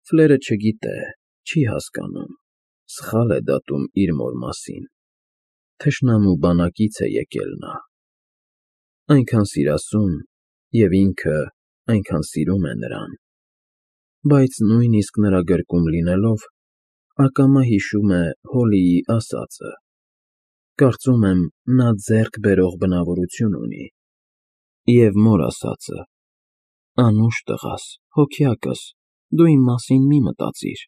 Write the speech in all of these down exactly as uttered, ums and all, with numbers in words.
Ֆլերը չգիտե, չի հասկանում, սխալ է դատում իր մոր մասին, թշնամու բանակից է եկել նա, այնքան սիրասուն, և ինքը այնքան սիրում է նրան, բայց նույնիսկ նրա գրկում լինելով, ակամա հիշում է Հոլիի ասածը, կարծում եմ, նա ձեռք բերող բնավորություն ունի, և մոր ասածը. «Անուշ տղաս, հոգյակս, դու իմ մասին մի մտածիր,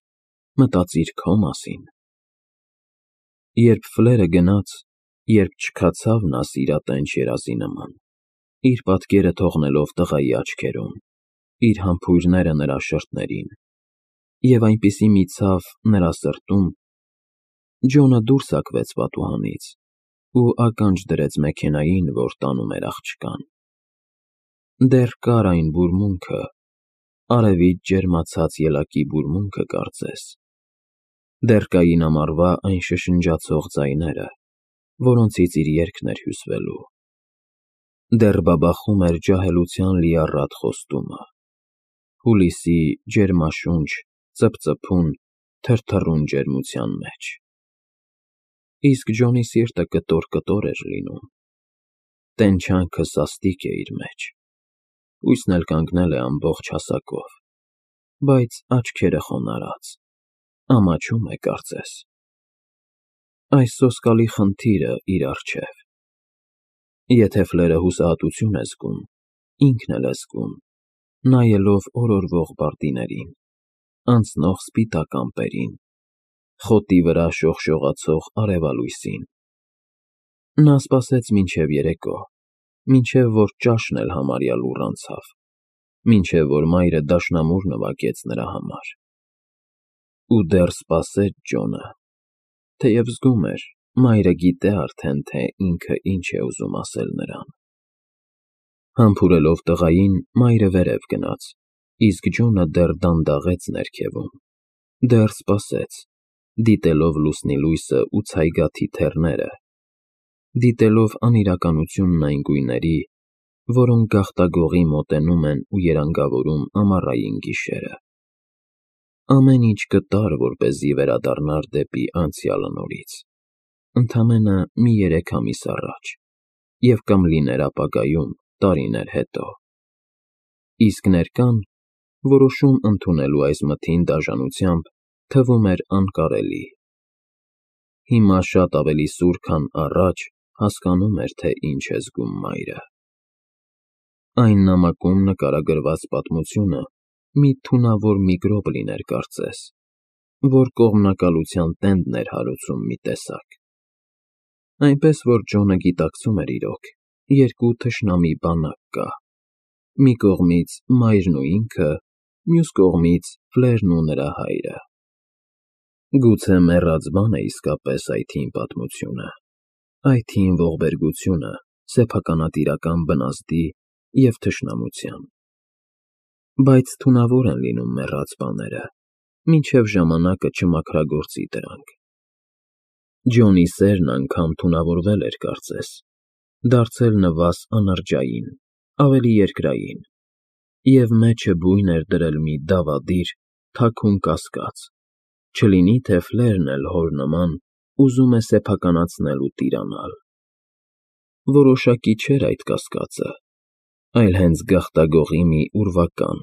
մտածիր քո մասին»։ Երբ Ֆլերը գնաց, երբ չքացավ նա սիրատենչ երազի նման, իր պատկերը թողնելով տղայի աչքերում, իր համբույրները նրա շրթերին, և այնպիսի մի ցավ նրա սրտում, Ջոնը դուրս հագվեց պատուհանից ու ականջ դրեց մեքենային, որ տանում էր աղջկան։ Դեռ կար այն բուրմունքը, արևից ջերմացած ելակի բուրմունքը կարծես, դեռ կային ամառվա այն շշնջացող ձայները, որոնցից իր երգն էր հյուսվելու, դեռ բաբախում էր ջահելության լիառատ խոստումը, հուլիսի ջերմաշունչ, ծպծփուն, թրթռուն ջերմության մեջ։ Իսկ Ջոնի սիրտը կտոր֊կտոր էր լինում, տենչանքը սաստիկ է իր մեջ, հույսն էլ կանգնել է ամբողջ հասակով, բայց աչքերը խոնարհած, ամաչում է կարծես։ Այս սոսկալի խնդիրը իր առջև։ Եթե Ֆլերը հուսահատություն է զգում, ինքն էլ է զգում, նայելով օրորվող բարդիներին, անցնող սպիտակ ամպերին, խոտի վրա շողշողացող արևալույսին։ Նա սպասեց մինչև երեկո, մինչև որ ճաշն էլ համարյա լուռ անցավ, մինչև որ մայրը դաշնամուր նվագեց նրա համար։ Ու դեռ սպասեց Ջոնը, թեև զգում էր, մայրը գիտե արդեն, թե ինքը ինչ է ուզում ասել նրան։ Համբուրելով տղային, մայրը վերև գնաց, իսկ Ջոնը դեռ դանդաղեց ներքևում, դեռ սպասեց, դիտելով լուսնի լույսը ու ցայգաթի թեռները, դիտելով անիրականությունն այն գույների, որոնք գաղտագողի մոտենում են ու երանգավորում ամառային գիշերը։ Ամեն ինչ կտար, որպեսզի վերադառնար դեպի անցյալը նորից, ընդամենը մի երեք ամիս առաջ, և կամ լիներ ապագայում, տարիներ հետո։ Իսկ ներկան, որոշում ընդունելու այս մթին դաժանությամբ, թվում էր անկարելի։ Հիմա շատ ավելի սուր, քան առաջ, հասկանում էր, թե ինչ է զգում մայրը։ Այն նամակում նկարագրված պատմությունը մի թունավոր միգրոբ լիներ կարծես, որ կողմնակալության տենդն էր հարուցում մի տեսակ։ Այնպես որ Ջոնը գիտակցում էր իրոք, երկու թշնամի բանակ կա, մի կողմից մայրն ու ինքը, մյուս կողմից Ֆլերն ու նրա հայրը։ Գուցե մեռած բան է իսկապես այդ հին պատմությունը, այդ հին ողբերգությունը սեփականատիրական բնազդի և թշնամության։ Բայց թունավոր են լինում մեռած բաները, մինչև ժամանակը չմաքրագործի դրանք։ Ջոնի սերն անգամ թունավորվել էր կարծես, դարձել նվազ անրջային, ավելի երկրային, և մեջը բույն էր դրել մի դավադիր, թաքուն կասկած, չլինի թե Ֆլերն էլ հոր նման ուզում է սեփականացնել ու տիրանալ։ Որոշակի չէր այդ կասկածը, այլ հենց գաղտագողի մի ուրվական,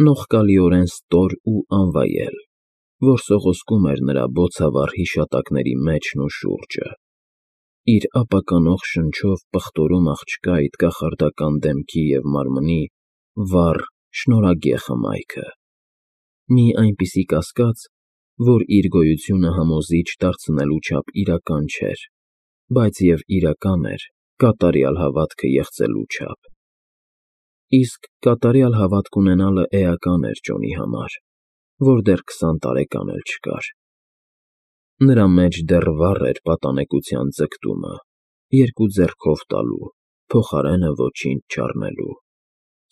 նողկալիորեն ստոր ու անվայել, որ սողոսկում էր նրա բոցավառ հիշատակների մեջն ու շուրջը, իր ապականող շնչով պղտորում աղջկա այդ կախարդական դեմքի և մարմնի վառ, շնորհագեղ հմայքը, մի այնպիսի կասկած, որ իր գոյությունը համոզիչ դարձնելու չափ իրական չէր, բայց և իրական էր կատարյալ հավատքը եղծելու չափ։ Իսկ կատարյալ հավատք ունենալը էական էր Ջոնի համար, որ դեռ քսան տարեկան էլ չկար։ Նրա մեջ դեռ վառ էր պատանեկության ձգտումը, երկու ձեռքով տալու, փոխարենը ոչինչ չառնելու,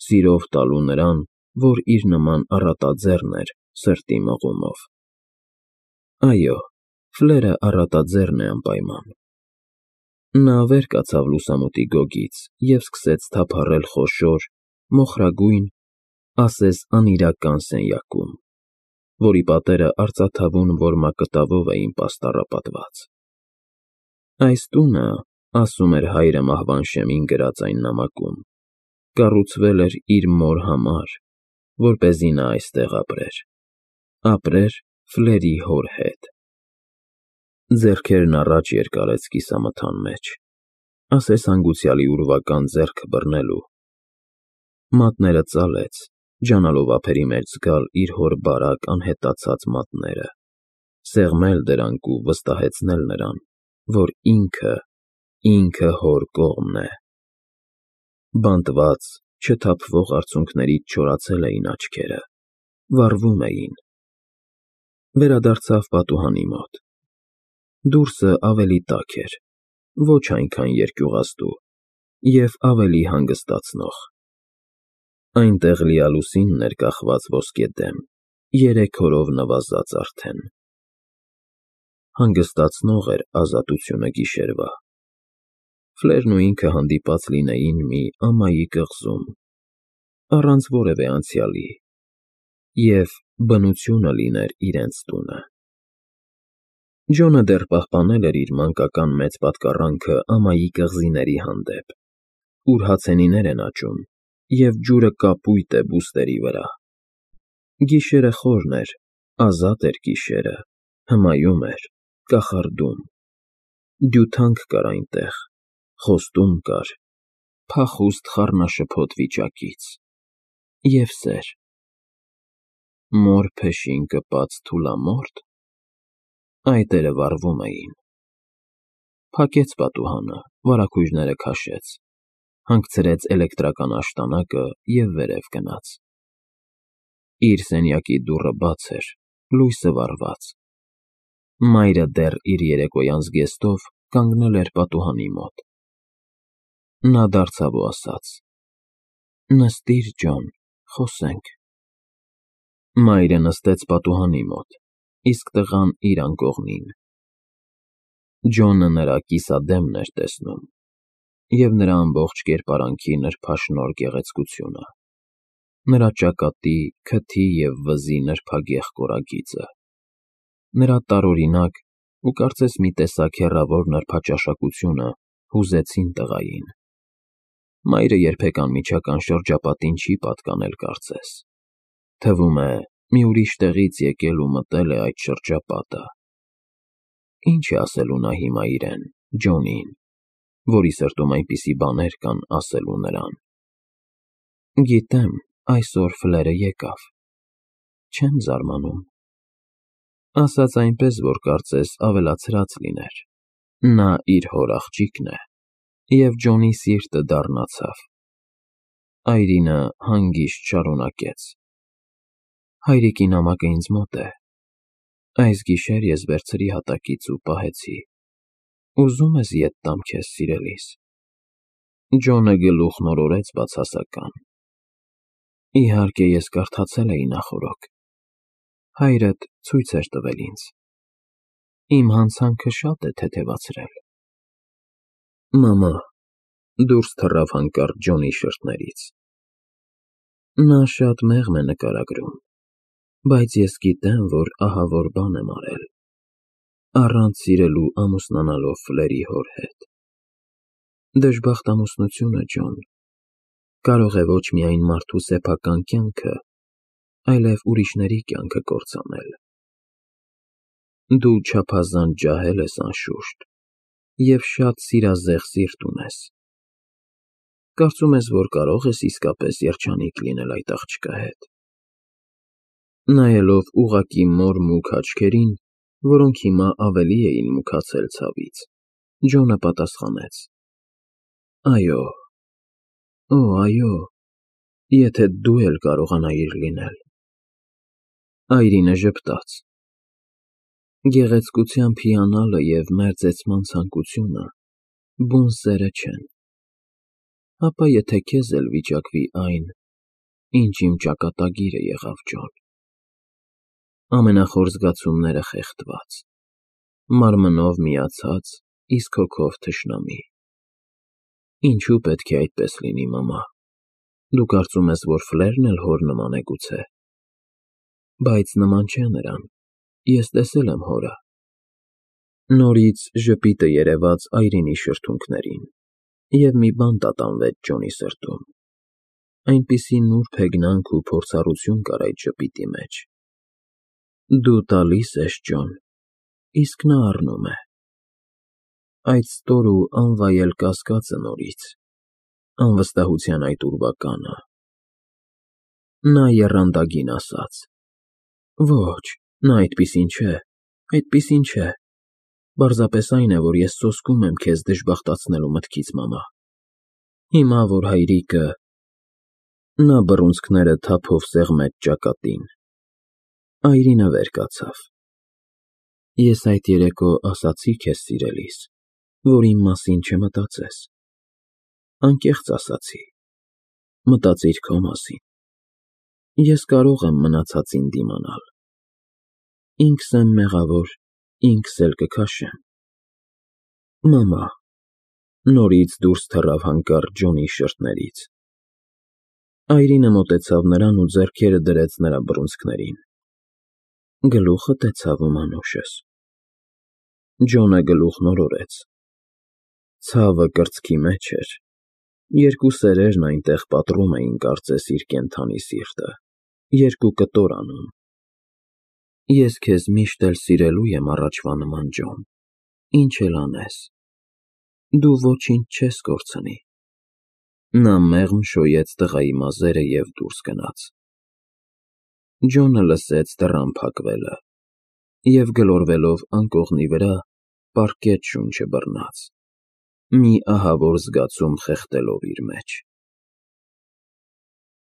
սիրով տալու նրան, որ իր նման առատաձեռն էր սրտի մղումով։ Այո, Ֆլերը առատաձեռն է անպայման։ Նա վեր կացավ լուսամուտի գոգից և սկսեց թափառել խոշոր, մոխրագույն, ասես անիրական սենյակում։ որի պատերը արծաթավուն որմակտավով էին պաստառապատված։ Այս տունը, ասում էր հայրը մահվան շեմին գրած այն նամակում, կառուցվել էր իր մոր համար, որպեսզի նա այստեղ ապրեր, ապրեր Ֆլերի հոր հետ։ Ձեռքերն առաջ երկարեց կիսամթան մեջ, ասես հանգուցյալի ուրվական ձեռքը բռնելու։ Մատները ծալեց, ջանալով ափերի մեջ զգալ իր հոր բարակ անհետացած մատները, սեղմել դրանք ու վստահեցնել նրան, որ ինքը, ինքը հոր կողմն է։ Բանտված, չթափվող արցունքներից չորացել էին աչքերը, վառվում էին։ Վերադարձավ պատուհանի մոտ։ Դուրսը ավելի տաք էր, ոչ այնքան երկյուղաստու և ավելի հանգստացնող։ Այնտեղ լիալուսինն էր կախված ոսկեդեմ, երեք օրով նվազած արդեն։ Հանգստացնող էր ազատությունը գիշերվա։ Ֆլերն ու ինքը հանդիպած լինեին մի ամայի կղզում, առանց որևէ անցյալի, և բնությունը լիներ իրենց տունը։ Ջոնը դեռ պահպանել էր իր մանկական մեծ պատկառանքը ամայի կղզիների հանդեպ, ուր հացենիներ են աճում, և ջուրը կապույտ է բուստերի վրա։ Գիշերը խորն էր, ազատ էր գիշերը, հմայում էր, կախարդում։ Դյութանք կար այնտեղ, խոստում կար, փախուստ խառնաշփոթ վիճակից, և սեր։ Մոր փեշին կպած թուլամո՞րտ։ Այտերը վառվում էին։ Փակեց պատուհանը, վարագույրները քաշեց, հանգցրեց էլեկտրական աշտանակը և վերև գնաց։ Իր սենյակի դուռը բաց էր, լույսը վառված։ Մայրը դեռ իր երեկոյան զգեստով կանգնել էր պատուհանի մոտ։ Նա դարձավ ու ասաց. «Նստիր, Ջոն, խոսենք»։ Մայրը նստեց պատուհանի մոտ, իսկ տղան իր անկողնին։ Ջոնը նրա կիսադեմն էր տեսնում և նրա ամբողջ կերպարանքի նրբաշնորհ գեղեցկությունը, նրա ճակատի, քթի և վզի նրբագեղ կորագիծը, նրա տարօրինակ ու կարծես մի տեսակ հեռավոր նրբաճաշակությունը հուզեցին տղային։ Մայրը երբեք անմիջական շրջապատին չի պատկանել կարծես, թվում է, մի ուրիշ տեղից եկել ու մտել է այդ շրջապատը։ Ինչ է ասելու նա հիմա իրեն, Ջոնին, որի սրտում այնպիսի բաներ կան ասելու նրան։ Գիտեմ, այսօր Ֆլերը եկավ, չեմ զարմանում։ Ասաց այնպես, որ կարծես ավելացրած լիներ, նա իր հոր աղջիկն է, և Ջոնի սիրտը դառնացավ։ Այրինը հանգիստ շարունակեց. Հայրիկի նամակը ինձ մոտ է, այս գիշեր ես վերցրի հատակից ու պահեցի, ուզո՞ւմ ես ետ տամ քեզ, սիրելիս։ Ջոնը գլուխն օրորեց բացասական։ Իհարկե, ես կարդացել էի նախօրոք, հայրդ ցույց էր տվել ինձ, իմ հանցանքը շատ է թեթևացրել։ Մամա, դուրս թռավ հանկարծ Ջոնի շրթներից։ Նա շատ մեղմ է նկարագրում, բայց ես գիտեմ, որ ահավոր բան եմ արել, առանց սիրելու ամուսնանալով Ֆլերի հոր հետ։ Դժբախտ ամուսնությունը, Ջոն, կարող է ոչ միայն մարդու սեփական կյանքը, այլև ուրիշների կյանքը կործանել։ Դու չափազանց ջահել ես, անշուշտ, և շատ սիրազեղ սիրտ ունես։ Կարծում ես, որ կարող ես իսկապես երջանիկ լինել այդ աղջկա հետ։ Նայելով ուղղակի մոր մուգ աչքերին, որոնք հիմա ավելի էին մուգացել ցավից, Ջոնը պատասխանեց. Այո, օ, այո, եթե դու էլ կարողանայիր լինել։ Այրինը ժպտաց։ Գեղեցկությամբ հիանալը և մերձեցման ցանկությունը բուն սերը չեն։ Հապա եթե քեզ էլ վիճակվի այն, ինչ իմ ճակատագիրը եղավ, Ջոն։ Ամենախոր զգացումները խեղդված, մարմնով միացած, իսկ հոգով թշնամի։ Ինչու պետք է այդպես լինի, մամա։ Դու կարծում ես, որ Ֆլերն էլ հոր նման է գուցե։ Բայց նման չէ նրան, ես տեսել եմ հորը։ Նորից ժպիտը երևաց Այրինի շրթունքներին, և մի բան տատանվեց Ջոնի սրտում, այնպիսի նուրբ հեգնանք ու փորձառություն կար այդ ժպիտի մեջ։ Դու տալիս ես, Ջոն, իսկ նա առնում է։ Այդ ստոր ու անվայել կասկածը նորից, անվստահության այդ ուրվականը։ Նա եռանդագին ասաց. Ոչ, նա այդպիսին չէ, այդպիսին չէ, պարզապես այն է, որ ես սոսկում եմ քեզ դժբախտացնելու մտքից, մամա, հիմա, որ հայրիկը… Նա բռունցքները թափով սեղմեց ճակատին։ Այրինը վեր կացավ։ Ես այդ երեկո ասացի քեզ, սիրելիս, որ իմ մասին չմտածես։ Անկեղծ ասացի, մտածիր քո մասին։ Ես կարող եմ մնացածին դիմանալ։ Ինքս եմ մեղավոր, ինքս էլ կքաշեմ։ Մամա… Նորից դուրս թռավ հանկարծ Ջոնի շրթներից։ Այրինը մոտեցավ նրան ու ձեռքերը դրեց նրա բռունցքներին։ Գլուխդ է ցավում, անուշս։ Ջոնը գլուխն օրորեց։ Ցավը կրծքի մեջ էր, երկու սերերն այնտեղ պատռում էին կարծես իր կենդանի սիրտը, երկու կտոր անում։ Ես քեզ միշտ էլ սիրելու եմ առաջվա նման, Ջոն, ինչ էլ անես, դու ոչինչ չես կորցնի։ Նա մեղմ շոյեց տղայի մազերը և դուրս գնաց։ Ջոնը լսեց դռան փակվելը և, գլորվելով անկողնի վրա, պառկեց շունչը բռնած, մի ահավոր զգացում խեղդելով իր մեջ։